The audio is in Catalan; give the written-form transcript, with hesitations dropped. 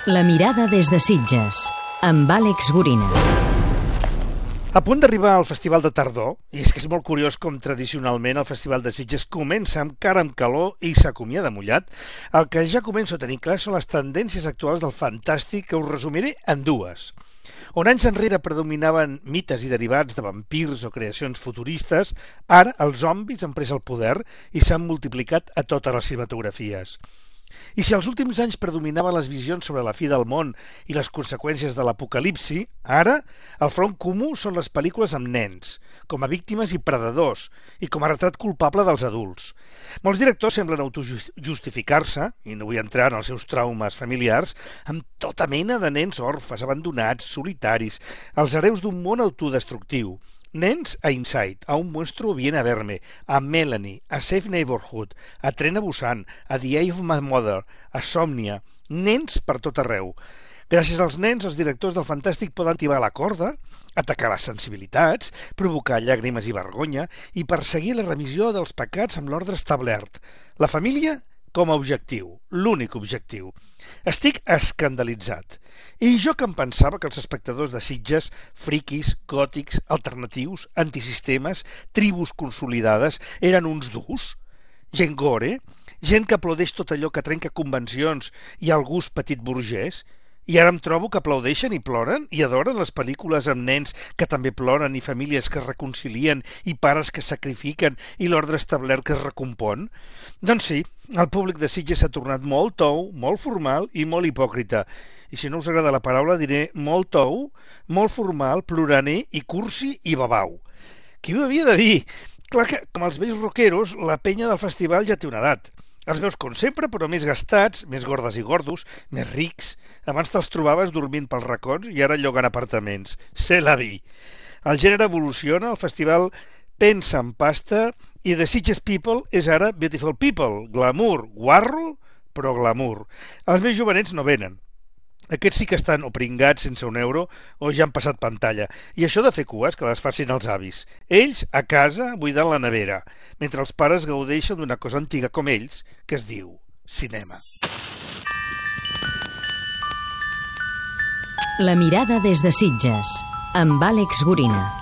La mirada des de Sitges, amb Àlex Gorina. A punt d'arribar al Festival de Tardor, i és que és molt curiós com tradicionalment el Festival de Sitges comença amb cara amb calor i s'acomiada mullat, el que ja començo a tenir clar són les tendències actuals del fantàstic que us resumiré en dues. On anys enrere predominaven mites i derivats de vampirs o creacions futuristes, ara els zombis han pres el poder i s'han multiplicat a totes les cinematografies. I si als últims anys predominaven les visions sobre la fi del món i les conseqüències de l'apocalipsi, ara el front comú són les pel·lícules amb nens, com a víctimes i predadors, i com a retrat culpable dels adults. Molts directors semblen autojustificar-se, i no vull entrar en els seus traumes familiars, amb tota mena de nens orfes, abandonats, solitaris, els hereus d'un món autodestructiu. Nens a Inside, a Un monstruo viene a verme, a Melanie, a Safe Neighborhood, a Tren a Busan, a The Eye of My Mother, a Somnia. Nens per tot arreu. Gràcies als nens, els directors del fantàstic poden tibar la corda, atacar les sensibilitats, provocar llàgrimes i vergonya i perseguir la remissió dels pecats amb l'ordre establert. La família com a objectiu, l'únic objectiu. Estic escandalitzat. I jo que em pensava que els espectadors de Sitges, friquis, gòtics, alternatius, antisistemes, tribus consolidades, eren uns durs? Gent gore? Gent que aplaudeix tot allò que trenca convencions i el gust petit burgès? I ara em trobo que aplaudeixen i ploren i adoren les pel·lícules amb nens que també ploren i famílies que es reconcilien i pares que sacrifiquen i l'ordre establert que es recompon? Doncs sí, el públic de Sitges s'ha tornat molt tou, molt formal i molt hipòcrita. I si no us agrada la paraula diré molt tou, molt formal, ploraner i cursi i babau. Qui ho havia de dir? Clar que, com els vells rockeros, la penya del festival ja té una edat. Els veus com sempre, però més gastats, més gordes i gordos, més rics. Abans te'ls trobaves dormint pels racons i ara llogant apartaments. C'est la vie. El gènere evoluciona, el festival pensa en pasta i The Sitges People és ara Beautiful People. Glamour, guarro, però glamour. Els més jovenets no venen. Aquests sí que estan o pringats sense un euro o ja han passat pantalla. I això de fer cues que les facin els avis. Ells, a casa, buidant la nevera, mentre els pares gaudeixen d'una cosa antiga com ells, que es diu cinema. La mirada des de Sitges, amb Àlex Gorina.